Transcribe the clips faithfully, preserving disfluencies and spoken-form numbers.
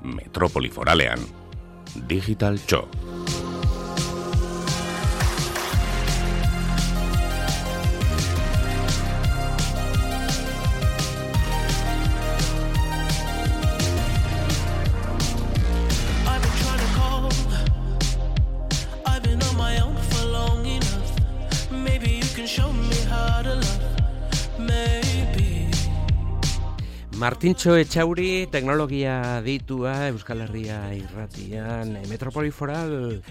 Metropoli Foralean, Digital Txo. Martintxo Etxauri, teknologia ditua Euskal Herria irratian, Metropoli Foral,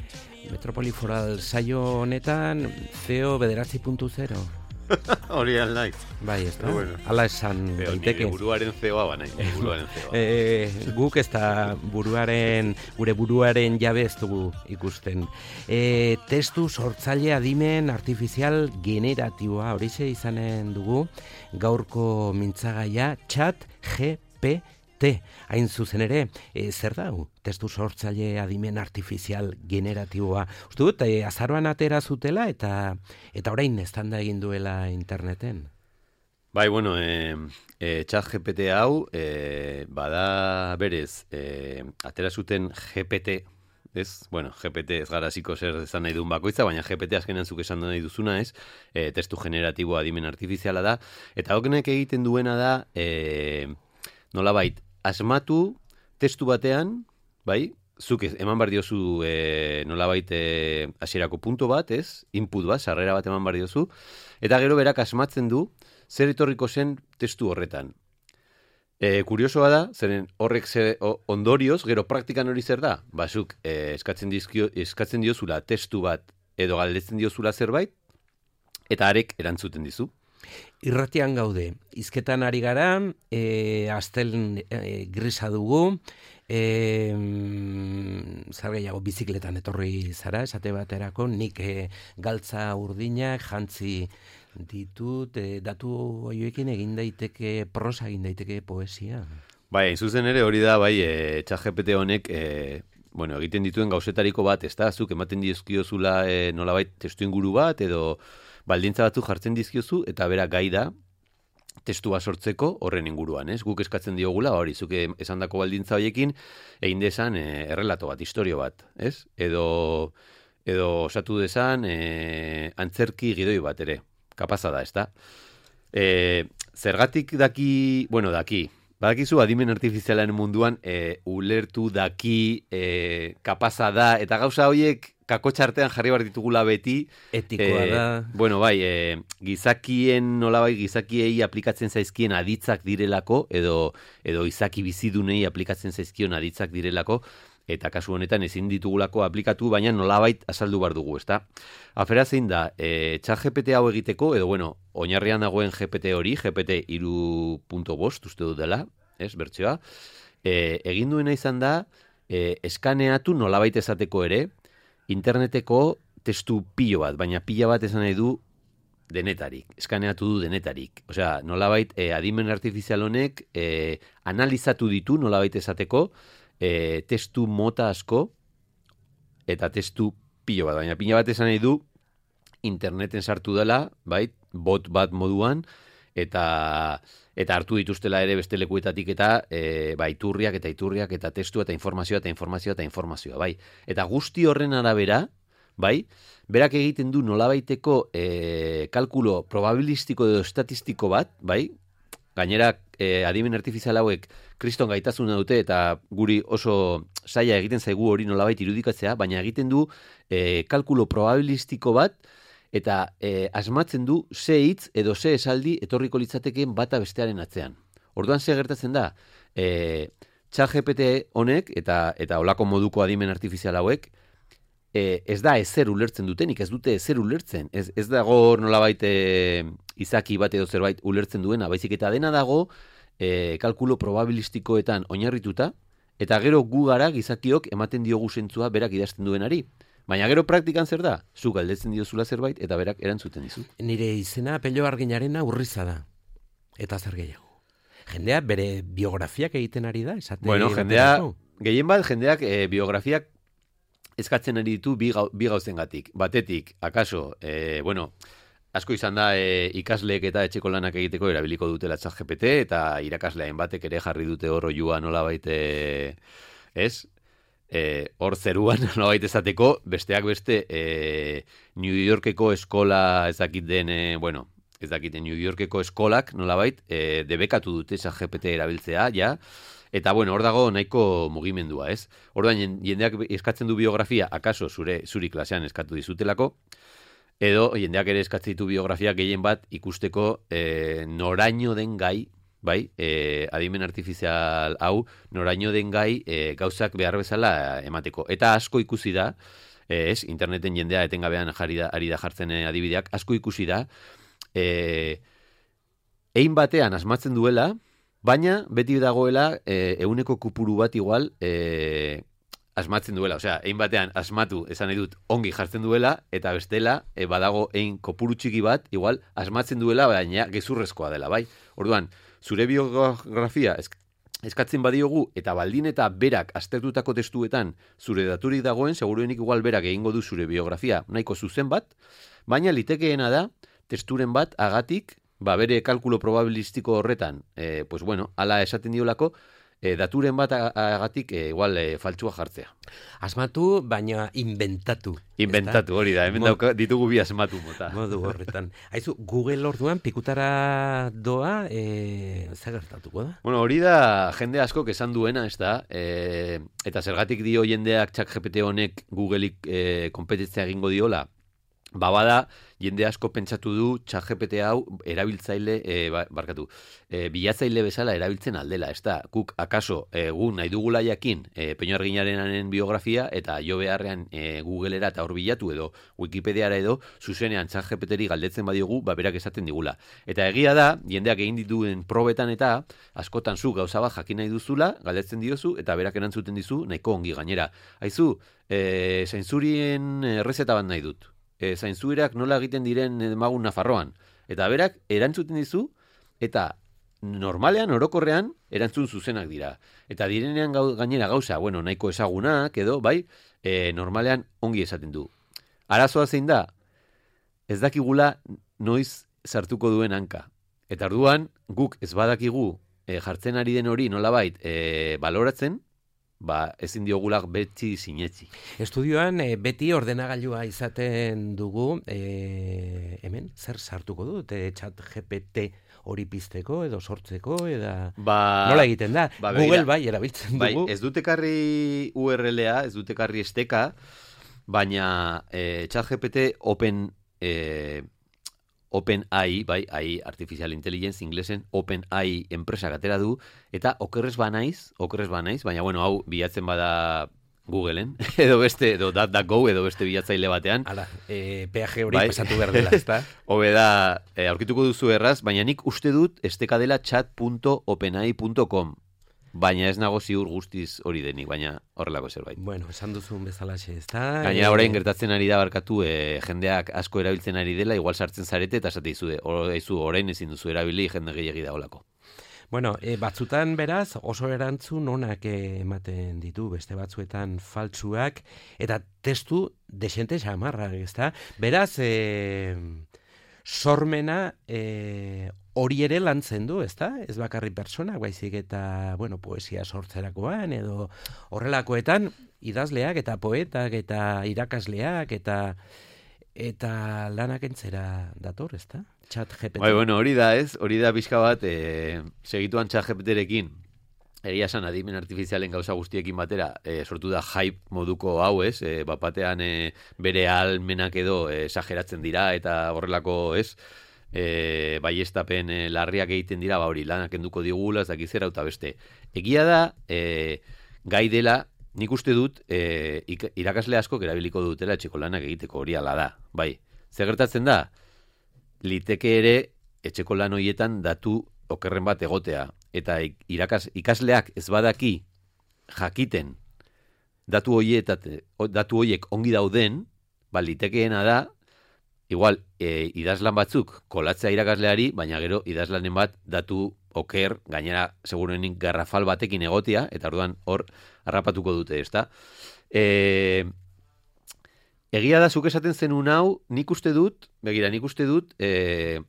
Metropoli Foral saio honetan, C E O bederatzi puntu zero. Hori alnaiz. Bai, ez da? Bueno. Ala esan daiteke. Nire buruaren C E O-a banai, buruaren C E O-a. e, guk ez da buruaren, gure buruaren jabe ez dugu ikusten. E, testu sortzaile adimen artifizial generatiboa, horixe izanen dugu, gaurko mintzagaia, chat G P T. Hain zuzen ere, e, zer da hu? Testu sortzaile adimen artifizial generatiboa. Uste dut, e, azaroan atera zutela eta eta orain eztanda egin duela interneten. Bai, bueno, e, e, chat G P T hau, e, bada berez, e, atera zuten G P T, ez? Bueno, G P T ez gara ziko zer esan nahi duen bakoitza, baina G P T azkenean zuk esan nahi duzuna ez, e, testu generatiboa adimen artifiziala da, eta hokenek egiten duena da, e, nolabait, asmatu testu batean, bai, zuk eman bar diozu e, nolabait e, hasierako punto bat, ez? Input bat, sarrera bat eman bar diozu, eta gero berak asmatzen du zer etorriko zen testu horretan. E, kuriosoa da, zeren horrek ze, o, ondorioz, gero praktikan hori zer da? Basuk, e, eskatzen, dizkio, eskatzen diozula testu bat edo galdetzen diozula zerbait, eta arek erantzuten dizu. Irratian gaude, hizketan ari gara, e, astel e, grisa dugu, e, zer gehiago bizikletan etorri zara, esate baterako, nik e, galtza urdinak jantzi ditut, e, datu horiekin egin daiteke, prosa egin daiteke poesia. Bai, hain zuzen ere hori da, bai, e, chat G P T honek, e, bueno, egiten dituen gauzetariko bat, ez da, zuk ematen dizkiozula e, nolabait testu inguru bat, edo baldintza batzu jartzen dizkiozu, eta bera gai da, testua sortzeko horren inguruan, ez? Guk eskatzen diogula, hori, zuk esandako baldintza horiekin, egin dezan e, errelato bat, historio bat, ez? Edo, edo osatu dezan e, antzerki gidoi bat ere, kapaza da, ez da? E, zergatik daki, bueno, daki, badakizu adimen artifizialaren munduan e, ulertu daki, e, kapaza da, eta gauza horiek kakotxartean jarri behar ditugula beti. Etikoa e, da. Bueno, bai, e, gizakien, nolabai, gizakiei aplikatzen zaizkien aditzak direlako, edo, edo izaki bizidunei aplikatzen zaizkion aditzak direlako, eta kasu honetan ezin ditugulako aplikatu, baina nolabait azaldu behar dugu, ezta? Afera zein da, e, chat G P T hau egiteko, edo bueno, oinarrian dagoen G P T hori, G P T hiru puntu bost, uste dut dela, ez, bertsioa, e, egin duena izan da, e, eskaneatu nolabait esateko ere, interneteko testu pilo bat, baina pila bat esan nahi du denetarik, eskaneatu du denetarik. Osea, nolabait, e, adimen artifizial honek e, analizatu ditu nolabait esateko e, testu mota asko eta testu pilo bat, baina pila bat esan nahi du interneten sartu dela, bai, bot bat moduan, eta eta hartu dituztela ere beste lekuetatik eta e, bai, iturriak eta iturriak eta testua eta informazioa eta informazioa eta informazioa, bai. Eta guzti horren arabera, bai, berak egiten du nolabaiteko e, kalkulo probabilistiko edo estatistiko bat, bai, gainera e, adimen artifizial hauek kriston gaitasuna dute eta guri oso zaila egiten zaigu hori nolabait irudikatzea, baina egiten du e, kalkulo probabilistiko bat, eta e, asmatzen du ze hitz edo ze esaldi etorriko litzatekeen bata bestearen atzean. Orduan ze gertatzen da, e, chat G P T honek eta eta olako moduko adimen artifizial hauek e, ez da ezer ulertzen dutenik, ez dute ezer ulertzen. Ez, ez dago nolabait e, izaki bat edo zerbait ulertzen duena, baizik eta dena dago e, kalkulo probabilistikoetan oinarrituta, eta gero gu gara gizakiok ematen diogu zentzua berak idazten duenari. Baina gero praktikan zer da? Zu galdetzen diozula zerbait eta berak erantzuten dizu. Nire izena Pello Arginarena Urriza da. Eta zer gehiago. Jendea bere biografiak egiten ari da, esate. Bueno, jendea, gehien bat, jendeak e, biografiak eskatzen ari ditu bi, gau, bi gauzengatik. Batetik, akaso, e, bueno, asko izan da e, ikasleek eta etxeko lanak egiteko erabiliko dutela chat G P T, eta irakasleain batek ere jarri dute horro joa nolabait e, ez? E, hor zeruan, nolabait esateko, besteak beste, e, New Yorkeko eskola ezakit den, e, bueno, ezakit New Yorkeko eskolak, nolabait, e, debekatu dute ChatGPT erabiltzea, ja, eta, bueno, hor dago nahiko mugimendua, ez? Orduan, jendeak eskatzen du biografia, akaso zure zuri klasean eskatu dizutelako, edo jendeak ere eskatzen ditu biografia gehien bat ikusteko e, noraino den gai, bai, e, adimen artifizial hau, noraino den gai e, gauzak behar bezala emateko. Eta asko ikusi da, e, ez, interneten jendea etengabean jari da, ari da jartzen e, adibideak, asko ikusi da, e, ein batean asmatzen duela, baina beti dagoela e, euneko kupuru bat igual e, asmatzen duela. Osea, ein batean asmatu, esan nahi dut, ongi jartzen duela, eta bestela, e, badago ein kopuru txiki bat, igual asmatzen duela, baina gezurrezkoa dela, bai? Orduan, zure biografia eskatzen badiogu eta baldin eta berak aztertutako testuetan zure daturik dagoen, seguruenik igual berak egingo du zure biografia nahiko zuzen bat, baina litekeena da testuren bat agatik, ba bere kalkulo probabilistiko horretan, e, pues bueno, ala esaten diolako, e, daturen bat agatik e, igual e, faltsua jartzea. Asmatu, baina inventatu. Inventatu, hori da, hemen dauka, ditugu bi asmatu mota. Modu horretan. Haizu, Google orduan pikutara doa, e, zer gertatuko da? Bueno, hori da jende askok esan duena, ez da, e, eta zergatik dio jendeak ChatGPT honek Googleik e, konpetentzia egingo diola, ba bada, jende asko pentsatu du ChatGPT hau erabiltzaile, e, barkatu, e, bilatzaile bezala erabiltzen aldela, ez da, guk akaso egun nahi dugula jakin e, Peño Arginarenaren biografia eta jo beharrean e, Googlera eta hor bilatu edo Wikipediara edo zuzenean ChatGPTri galdetzen badiogu, ba berak esaten digula. Eta egia da, jendeak egin dituen probetan eta askotan zu gauza bat jakin nahi duzula, galdetzen diozu eta berak erantzuten dizu nahiko ongi gainera. Haizu, e, zainzurien errezeta bat nahi dut. E, zainzuerak nola egiten diren magun Nafarroan. Eta berak erantzuten dizu, eta normalean, orokorrean, erantzun zuzenak dira. Eta direnean gau, gainera gauza, bueno, nahiko ezagunak, edo, bai, e, normalean ongi esaten du. Arazoa zein da, ez dakigula noiz sartuko duen hanka. Eta orduan, guk ez badakigu e, jartzen ari den hori nolabait e, baloratzen, ba, ezin diogulak beti sinetzi. Estudioan e, beti ordenagailua izaten dugu, e, hemen, zer sartuko dut, e, ChatGPT hori pizteko edo sortzeko, eda ba, nola egiten da? Ba, Google bai, erabiltzen bai, dugu. Ez dut ekarri U R L-a, ez dut ekarri esteka, baina e, ChatGPT Open e, OpenAI, bai, A I, Artificial Intelligence, inglesen, OpenAI enpresa atera du, eta okerrez banaiz, okerrez banaiz, baina, bueno, hau bilatzen bada Googleen, edo beste, edo DuckDuckGo, edo beste bilatzaile batean. Hala, e, peaje hori bai, pasatu behar dela, ezta? Hobe da, e, aurkituko duzu erraz, baina nik uste dut esteka dela chat punto openai punto com. Baina ez nago ziur guztiz hori denik, baina horrelako zerbait. Bueno, esan duzun bezalaxe, ez da? Gaina orain gertatzen ari da barkatu, e, jendeak asko erabiltzen ari dela, igual sartzen zarete eta esate izu, orain ezin duzu erabili jende gehiagi da olako. Bueno, e, batzutan beraz oso erantzun onak ematen ditu, beste batzuetan faltsuak, eta testu desente xamarrak, ez da? Beraz, e, sormena e, hori ere lantzen du, ez da? Ez bakarri pertsonak, baizik eta, bueno, poesia sortzerakoan, edo horrelakoetan, idazleak eta poetak eta irakasleak eta eta lanak entzera dator, ez da? ChatGPT. Bai, bueno, hori da, ez? Hori da pixka bat, e, segituan ChatGPTrekin, egia esan adimen artifizialen gauza guztiekin batera, e, sortu da hype moduko hau, ez? E, bapatean e, bere almenak edo e, esageratzen dira eta horrelako, ez? E, baiestapen e, larriak egiten dira, ba hori, lanak enduko digula, ez dakizera, eta beste. Egia da, e, gai dela, nik uste dut, e, irakasle asko erabiliko dutela etxeko lanak egiteko, hori ala da, bai. Zer gertatzen da, liteke ere etxeko lan horietan datu okerren bat egotea, eta irakas, ikasleak ez badaki jakiten datu horietat, datu horiek ongi dauden, ba, litekeena da, igual, e, idazlan batzuk kolatzea irakasleari, baina gero idazlanen bat datu oker, gainera segurenik garrafal batekin egotea, eta orduan hor harrapatuko dute, ezta? E, egia da, zuk esaten zenun hau, nik uste dut, begira, nik uste dut, e,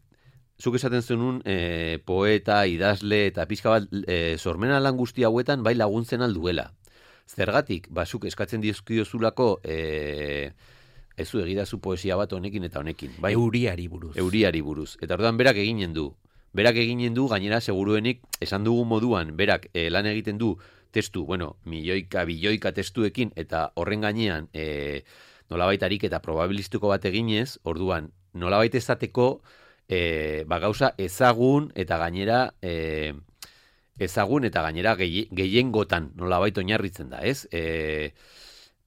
zuk esaten zenun e, poeta, idazle, eta pixka bat e, sormena lan guzti hauetan bai laguntzen alduela. Zergatik, basuk eskatzen dizkiozulako e, ez zu egidazu poesia bat honekin eta honekin. Bai? Euriari buruz. Euriari buruz. Eta orduan berak eginen du. Berak eginen du, gainera seguruenik, esan dugu moduan, berak e, lan egiten du testu, bueno, milioika, bilioika testuekin, eta horren gainean e, nolabait ariketa probabilistiko bat eginez, orduan, nolabait ezateko e, ba, gauza ezagun eta gainera e, ezagun eta gainera gehiengotan nolabait oinarritzen da, ez? E,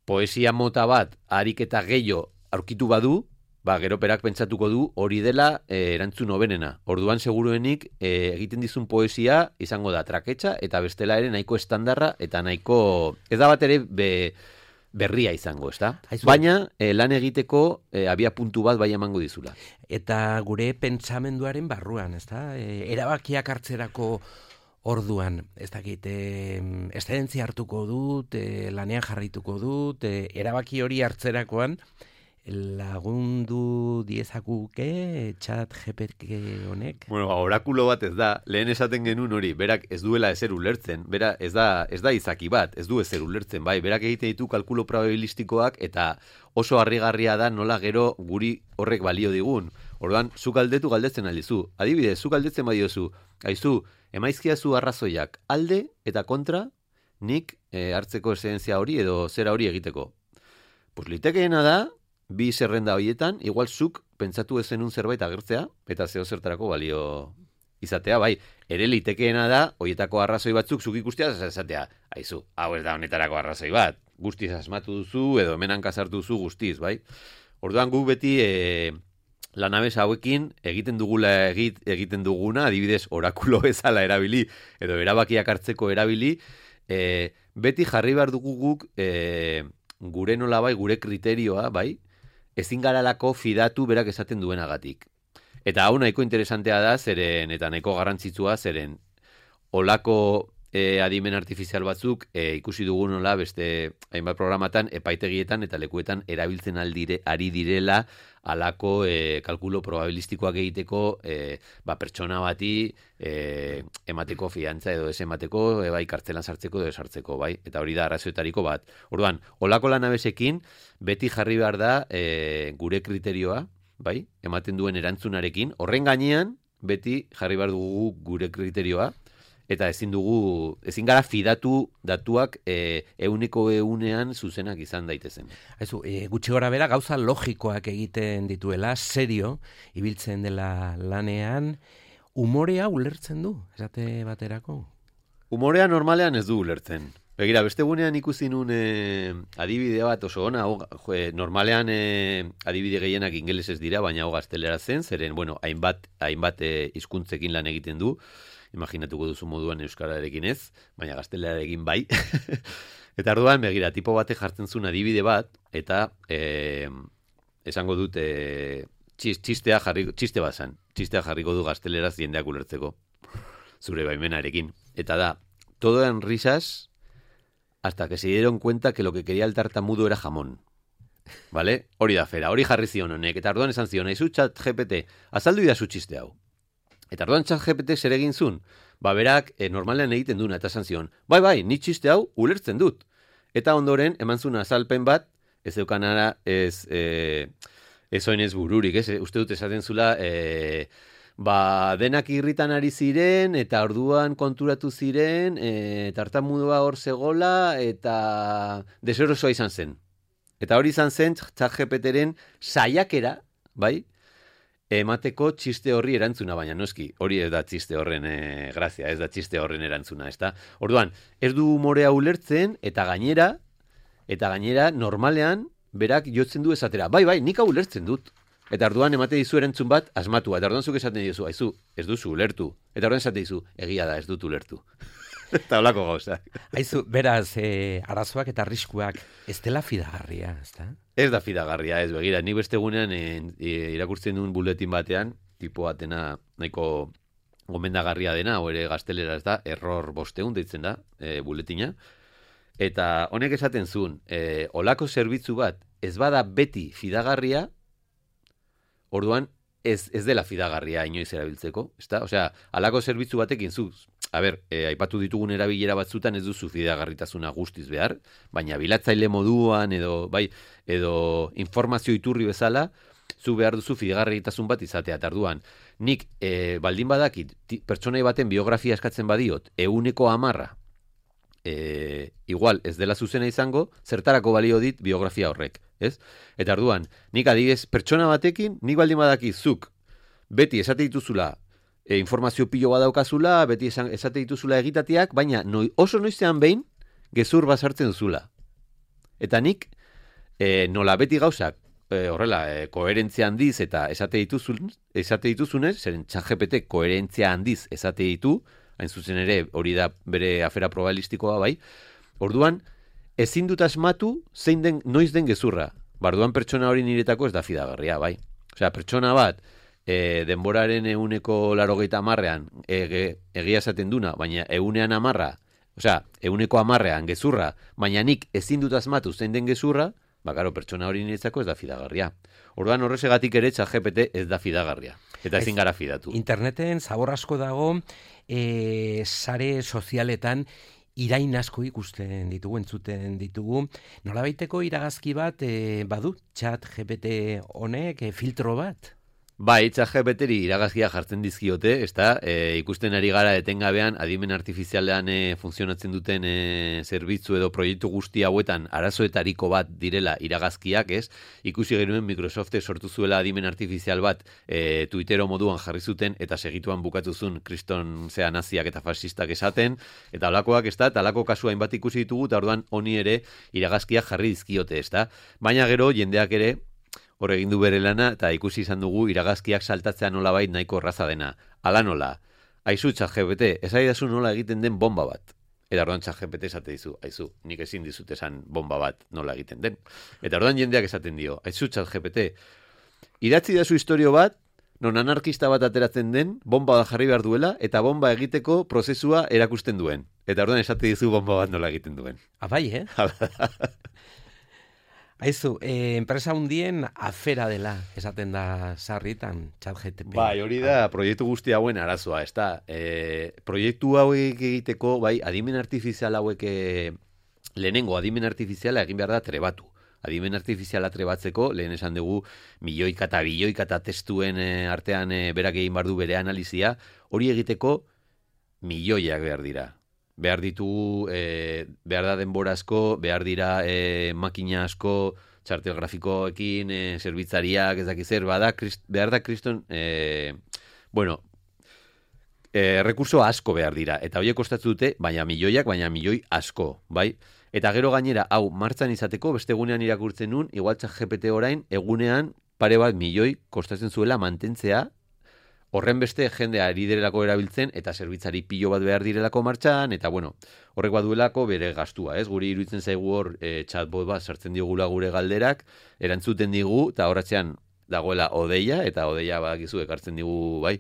poesia mota bat ariketa gehiago aurkitu badu, ba, gero perak pentsatuko du hori dela e, erantzun hobenena. Orduan seguruenik e, egiten dizun poesia izango da traketxa eta bestela ere nahiko estandarra eta nahiko ez da bat ere be, berria izango, ezta? Baina e, lan egiteko e, abia puntu bat bai emango dizula. Eta gure pentsamenduaren barruan, ezta? E, erabakiak hartzerako orduan, ez dakit, e, eszedentzia hartuko dut, e, lanean jarrituko dut, e, erabaki hori hartzerakoan, lagundu diezakuke chat G P T honek? Bueno, orakulo bat ez da, lehen esaten genuen hori, berak ez duela ezer ulertzen, bera ez da, ez da izaki bat, ez du ezer ulertzen, bai, berak egite ditu kalkulo probabilistikoak eta oso harrigarria da nola gero guri horrek balio digun. Orduan, zu galdetu galdetzen aldizu. Adibidez, zu galdetzen badiozu, aizu, emaizkiazu arrazoiak alde eta kontra nik e, hartzeko esentzia hori edo zera hori egiteko. Pues litekeena da, bi zerrenda horietan, igual zuk pentsatu ezenun zerbait agertzea, eta zeo zertarako balio izatea, bai, ere litekeena da, horietako arrazoi batzuk zuk ikustea, esatea, aizu, hau ez da honetarako arrazoi bat, guztiz asmatu duzu, edo hemen hankasartu duzu guztiz, bai. Orduan guk beti e, lanabes hauekin egiten dugula egit, egiten duguna, adibidez orakulo bezala erabili, edo erabakiak hartzeko erabili, e, beti jarri behar dugu guk e, gure nola bai, gure kriterioa, bai, ezin garalako fidatu berak esaten duenagatik. Eta hau nahiko interesantea da, zeren, eta nahiko garrantzitsua, zeren, olako e, adimen artifizial batzuk e, ikusi dugu nola beste hainbat programatan, epaitegietan eta lekuetan erabiltzen aldire, ari direla alako e, kalkulo probabilistikoak egiteko e, ba, pertsona bati e, emateko fiantza edo ez emateko, e, bai, kartzelan sartzeko edo sartzeko, bai, eta hori da arrazoetariko bat. Orduan, olako lanabesekin, beti jarri behar da e, gure kriterioa, bai, ematen duen erantzunarekin, horren gainean, beti jarri behar dugu gure kriterioa, eta ezin dugu, ezin gara fidatu datuak e, euneko eunean zuzenak izan daitezen. Aizu, e, gutxi gora bera gauza logikoak egiten dituela, serio, ibiltzen dela lanean, umorea ulertzen du, esate baterako? Umorea normalean ez du ulertzen. Begira, beste gunean ikusi nun e, adibide bat oso ona, o, jo, normalean e, adibide gehienak ingelesez dira, baina hau gaztelera zen, zeren, bueno, hainbat, hainbat e, hizkuntzekin lan egiten du, imaginatuko duzu moduan euskararekin ez, baina gaztelerarekin bai. Eta orduan, begira, tipo batek jartzen zuen adibide bat, eta e, esango dut e, txistea jarri, txiste bat zan, txistea jarriko du gazteleraz jendeak ulertzeko, zure baimenarekin. Eta da, todo eran risas hasta que se dieron cuenta que lo que quería el tartamudo era jamón. ¿Vale? Hori da fera, hori jarri zion honek, eta orduan esan zion, aizu chat G P T, azaldu idazu txiste hau. Eta orduan chat G P T zer egin zuen, ba berak e, normalean egiten duna, eta esan zion, bai bai, ni txiste hau ulertzen dut. Eta ondoren, eman zuen azalpen bat, ez eukanara, ez, e, ez oinez bururik, ez, uste dut esaten zula, e, ba, denak irritan ari ziren, eta orduan konturatu ziren, e, tartamudua hor zegola, eta deserosoa izan zen. Eta hori izan zen, chat G P T-ren saiakera, bai, emateko txiste horri erantzuna, baina noski, hori ez da txiste horren e, grazia, ez da txiste horren erantzuna, ez da? Orduan, ez du umorea ulertzen, eta gainera, eta gainera, normalean, berak jotzen du esatera, bai, bai, nik hau ulertzen dut. Eta orduan emate dizu erantzun bat asmatua, eta orduan zuk esaten dizu, aizu, ez duzu ulertu. Eta orduan esaten dizu, egia da, ez dut ulertu. Eta holako gauza. Aizu, beraz, e, arazoak eta arriskuak ez dela fidagarria, ez da? Ez da fidagarria, ez begira. Nik beste gunean e, e, irakurtzen duen buletin batean, tipo batena nahiko gomendagarria dena, o ere gaztelera ez da, error bosteun deitzen da, e, buletina. Eta honek esaten zuen, e, olako zerbitzu bat ez bada beti fidagarria, orduan ez, ez dela fidagarria inoiz erabiltzeko, ezta? Osea, alako zerbitzu batekin zu a ber, e, aipatu ditugun erabilera batzutan ez duzu fidagarritasuna guztiz behar, baina bilatzaile moduan edo, bai, edo informazio iturri bezala, zu behar duzu fidagarritasun bat izatea. Tarduan, nik e, baldin badakit, pertsonai baten biografia eskatzen badiot, euneko amarra, e, igual ez dela zuzena izango, zertarako balio dit biografia horrek, ez? Eta arduan, nik adibidez, pertsona batekin, nik baldin badakit zuk, beti esate dituzula, e, informazio pilo badaukazula, beti esan, esate dituzula egitateak, baina noi, oso noizean behin, gezur basartzen duzula. Eta nik, e, nola beti gauzak, E, horrela, e, koherentzia handiz eta esate dituzun, esate dituzunez, zeren ChatGPT koherentzia handiz esate ditu, hain zuzen ere hori da bere afera probabilistikoa bai, orduan, ezin dut asmatu zein den, noiz den gezurra. Barduan pertsona hori niretako ez da fidagarria, bai. Osea, pertsona bat, e, denboraren euneko larogeita amarrean ege, egia esaten duna, baina eunean amarra, osea, euneko amarrean gezurra, baina nik ezin dut asmatu zein den gezurra, ba, karo, pertsona hori niretzako ez da fidagarria. Orduan horrezegatik ere ChatGPT ez da fidagarria. Eta ezin gara fidatu. Interneten zabor asko dago, e, sare sozialetan irain asko ikusten ditugu, entzuten ditugu. Nolabaiteko iragazki bat e, badu ChatGPT honek e, filtro bat? Bai, ChatGPTri iragazkia jartzen dizkiote, ezta? E, ikusten ari gara etengabean adimen artifizialean e, funtzionatzen duten e, zerbitzu edo proiektu guzti hauetan arazoetariko bat direla iragazkiak, ez? Ikusi genuen Microsoftek sortu zuela adimen artifizial bat e, Twittero moduan jarri zuten eta segituan bukatuzun kriston zea naziak eta fascistak esaten, eta alakoak, ezta? Eta alako kasu hainbat ikusi ditugu, eta orduan honi ere iragazkiak jarri dizkiote, ezta? Baina gero jendeak ere hor egin du bere lana, eta ikusi izan dugu iragazkiak saltatzea nolabait nahiko erraza dena. Ala nola, aizu ChatGPT, esaidazu nola egiten den bomba bat. Eta orduan ChatGPT esate dizu, aizu, nik ezin dizut esan bomba bat nola egiten den. Eta orduan jendeak esaten dio, aizu ChatGPT, idatzi dazu historio bat, non anarkista bat ateratzen den, bomba jarri behar duela, eta bomba egiteko prozesua erakusten duen. Eta orduan esate dizu bomba bat nola egiten duen. Abai, eh? Aizu, eh, enpresa hundien afera dela, esaten da sarritan, ChatGPT. Bai, hori da proiektu guzti hauen arazoa, ez da. E, proiektu hauek egiteko, bai, adimen artifizial hauek, e, lehenengo adimen artifiziala egin behar da trebatu. Adimen artifiziala trebatzeko, lehen esan dugu, milioika eta bilioika eta testuen e, artean e, berak egin behar du bere analizia, hori egiteko milioiak behar dira. Behar ditugu, e, behar da denbora asko, behar dira e, makina asko, txartel grafikoekin, e, zerbitzariak, ez dakiz zer, bada, krist, behar da kriston, e, bueno, e, rekurso asko behar dira, eta horiek kostatzen dute, baina milioiak, baina milioi asko, bai? Eta gero gainera, hau, martxan izateko, beste egunean irakurtzen nun, igual ChatGPT orain, egunean pare bat milioi kostatzen zuela mantentzea, horren beste jendea ari direlako erabiltzen eta zerbitzari pilo bat behar direlako martxan, eta bueno, horrek baduelako bere gastua, ez? Guri iruditzen zaigu hor e, chatbot bat sartzen digula gure galderak, erantzuten digu, eta horratzean dagoela odeia, eta odeia badakizu ekartzen digu, bai,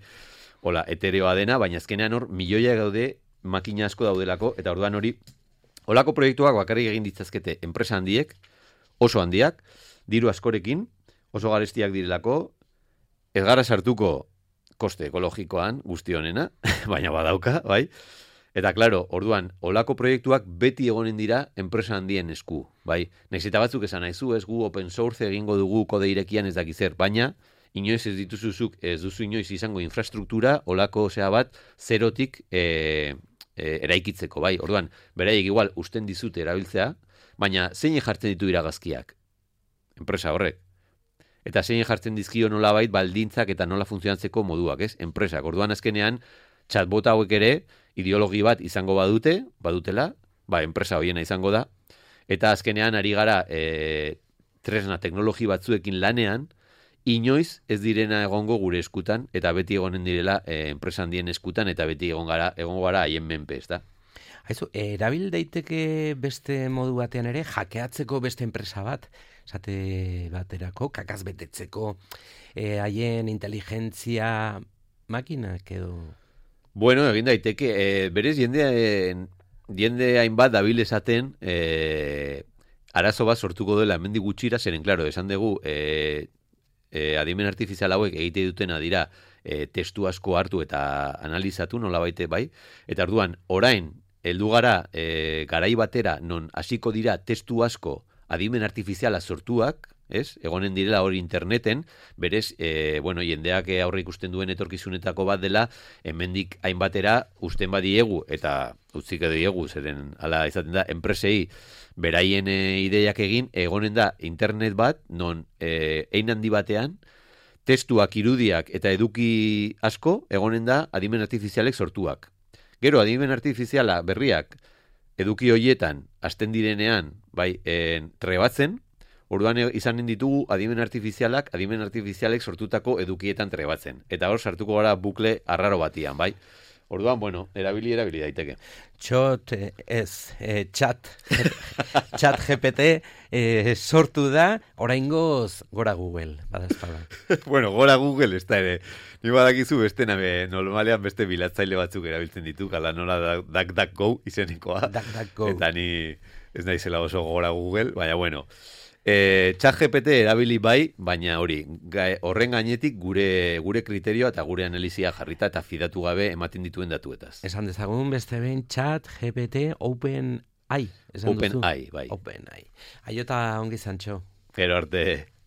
hola, etereoa dena, baina azkenean hor milioia gaude, makina asko daudelako, eta orduan hori, holako proiektuak bakarrik egin ditzazkete enpresa handiek, oso handiak, diru askorekin, oso garestiak direlako, ez gara sartuko koste ekologikoan guzti honena, baina badauka, bai? Eta, klaro, orduan, olako proiektuak beti egonen dira enpresa handien esku, bai? Naiz eta batzuk esan naizu, ez gu open source egingo dugu kode irekian ez dakizer, baina inoiz ez dituzuzuk, ez duzu inoiz izango infrastruktura, olako zea bat, zerotik e, e, eraikitzeko, bai? Orduan, beraiek igual usten dizute erabiltzea, baina zein jartzen ditu iragazkiak? Enpresa horrek. Eta zein jartzen dizkio nolabait baldintzak eta nola funtzionatzeko moduak, ez? Enpresak. Orduan azkenean, chatbot hauek ere, ideologi bat izango badute, badutela, ba, enpresa hoiena izango da, eta azkenean ari gara e, tresna teknologi batzuekin lanean, inoiz ez direna egongo gure eskutan, eta beti egonen direla e, enpresa handien eskutan, eta beti egon gara, egongo gara haien menpe, ez da? Haizu, erabil daiteke beste modu batean ere, jakeatzeko beste enpresa bat, esate baterako, kakaz betetzeko, e, haien inteligentzia makinak edo... Bueno, egin daiteke, e, berez jende, jende hainbat dabil esaten, e, arazo bat sortuko dela hemendik gutxira, zeren, klaro, esan dugu, e, e, adimen artifizial hauek egite dutena dira e, testu asko hartu eta analizatu nola baite bai, eta orduan orain heldu gara e, garai batera non hasiko dira testu asko adimen artifiziala sortuak, ez? Egonen direla hori interneten, berez, e, bueno, jendeak aurre ikusten duen etorkizunetako bat dela, hemendik hainbatera usten badiegu, eta utzik diegu, zeren, ala izaten da, enpresei beraien e, ideiak egin, egonen da internet bat, non e, ein handi batean, testuak, irudiak eta eduki asko, egonen da adimen artifizialek sortuak. Gero, adimen artifiziala berriak, eduki hoietan, hasten direnean, bai, en, trebatzen, orduan izanen ditugu adimen artifizialak, adimen artifizialek sortutako edukietan trebatzen. Eta hor sartuko gara bukle arraro batian, bai? Orduan, bueno, erabili, erabili daiteke. Txot, ez, e, chat, chat G P T e, sortu da, oraingoz gora Google, badazpada. Bueno, gora Google, ez da ere, ni badakizu beste nabe, normalean beste bilatzaile batzuk erabiltzen ditu, kala nola DuckDuckGo izenikoa. DuckDuckGo. Eta ni ez naizela oso gora Google, baina bueno. E, ChatGPT erabili bai, baina hori, gai, horren gainetik gure gure kriterioa eta gure analizia jarrita eta fidatu gabe ematen dituen datuetaz. Esan dezagun beste behin chat G P T OpenAI. OpenAI, bai. OpenAI. Aiota ongi zantxo. Gero arte.